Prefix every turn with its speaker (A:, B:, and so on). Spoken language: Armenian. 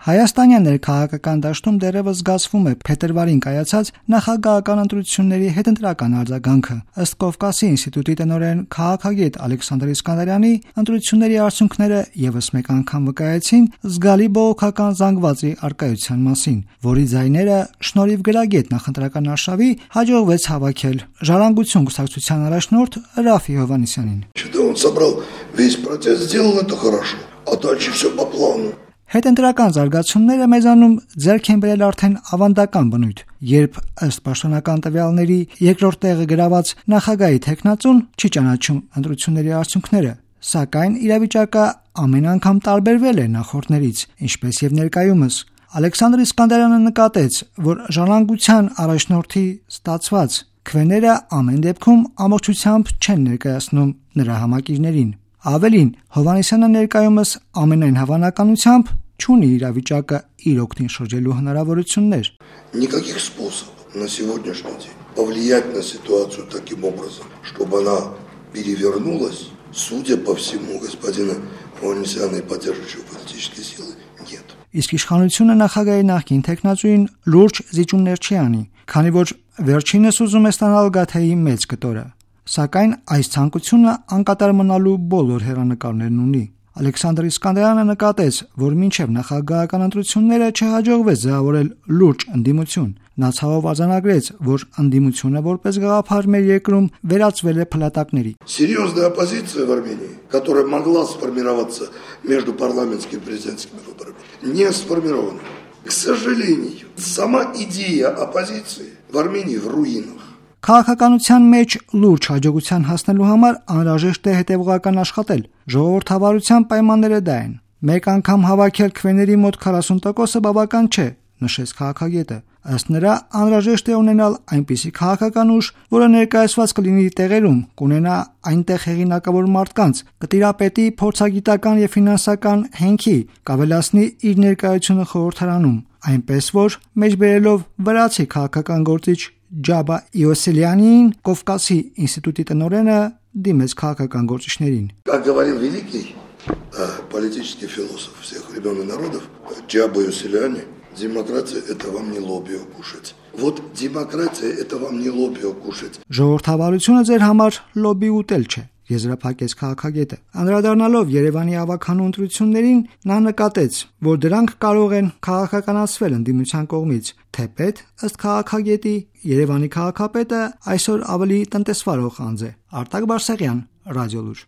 A: Հայաստանյան ներքաղաքական դաշտում դեռևս զգացվում է փետրվարին կայացած նախագահական ընտրությունների հետընտրական արձագանքը։ Ըստ Կովկասի ինստիտուտի տնօրեն քաղաքագետ Ալեքսանդր Իսկանդարյանի, ընտրությունների արդյունքները եւս մեկ անգամ վկայեցին զգալի բողոքական զանգվածի առկայության մասին, որի ձայները շնորհիվ գրագետ նախընտրական արշավի հաջողվեց հավաքել Ժառանգություն կուսակցության առաջնորդ Րաֆֆի Հովհաննիսյանին։
B: Он собрал весь протест, сделал это хорошо, а дальше все по плану.
A: Հետընտրական զարգացումները մեզանում ձեռք են բերել արդեն ավանդական բնույթ, երբ ըստ պաշտոնական տվյալների երկրորդ տեղը գրաված նախագահի թեկնածուն չի ճանաչում ընտրությունների արդյունքները, սակայն իրավիճակը ամեն անգամ տարբերվել է նախորդներից, ինչպես եւ ներկայումս։ Ալեքսանդր Իսկանդարյանը նկատեց, որ Ժառանգության առաջնորդի ստացված քվեները ամեն դեպքում ամբողջությամբ չեն ներկայացնում նրա համակիրներին։ Ավելին, Հովհաննիսյանը ներկայումս ամենայն հավանականությամբ չունի իրավիճակը իր օգտին շրջելու հնարավորություններ։
B: Никаких способов на сегодняшний день повлиять на ситуацию таким образом, чтобы она перевернулась, судя по всему, господина Հովհաննիսյана и поддерживающего политические силы нет.
A: Իսկ իշխանությունը նախագահի նախկին թեկնածուին լուրջ զիջումներ չի անի, քանի որ վերջինս ուզում է ստանալ Գաթեի մեծ կտորը։ Սակայն այս ցանկությունը անկատար մնալու բոլոր հեռանկարներն ունի։ Ալեքսանդր Իսկանդարյանը նկատեց, որ մինչև նախագահական ընտրությունները չհաջողվեց ձևավորել լուրջ ընդդիմություն։ Նա ցավով արձանագրեց, որ ընդդիմությունը որպես գաղափար մեր երկրում վերածվել է փլատակների։
B: Серьезная оппозиция в Армении, которая могла сформироваться между парламентскими и президентскими выборами, не сформирована. К сожалению, сама идея оппозиции в Армении в руинах.
A: Քաղաքականության մեջ լուրջ հաջողության հասնելու համար անհրաժեշտ է հետևողական աշխատել։ Ժողովրդավարության պայմանները դա են։ Մեկ անգամ հավաքել քվեների մոտ 40%-ը բավական չէ, նշեց քաղաքագետը։ Ըստ նրա, անհրաժեշտ է ունենալ այնպիսի քաղաքական ուժ, որը ներկայացված կլինի տեղերում, կունենա այնտեղ հեղինակավոր մարդկանց, կտիրապետի փորձագիտական եւ ֆինանսական հենքի, կավելացնի իր ներկայությունը խորհրդարանում, այնպես որ մեջբերելով վրացի քաղաքական գործիչ Ջաբա Իոսելյանին, Կովկասի ինստիտուտի տնօրենը դիմեց քաղաքական գործիչներին։
B: Как говорил великий политический философ всех времен и народов Джаба Иосельяни, демократия это вам не лобио кушать. Вот демократия это вам не лобио кушать.
A: Ժողովրդավարությունը ձեր համար լոբի ուտել չէ, եզրափակեց քաղաքագետը։ Անդրադառնալով Երևանի ավականու ընտրություններին, նա նկատեց, որ դրանք կարող են քաղաքականացվել ընդդիմության կողմից, թեպետ ըստ քաղաքագետի Երևանի քաղաքապետը այսօր ավելի տնտեսվարող անձ է։ Արտակ Բարսեղյան, Ռադիոլուր։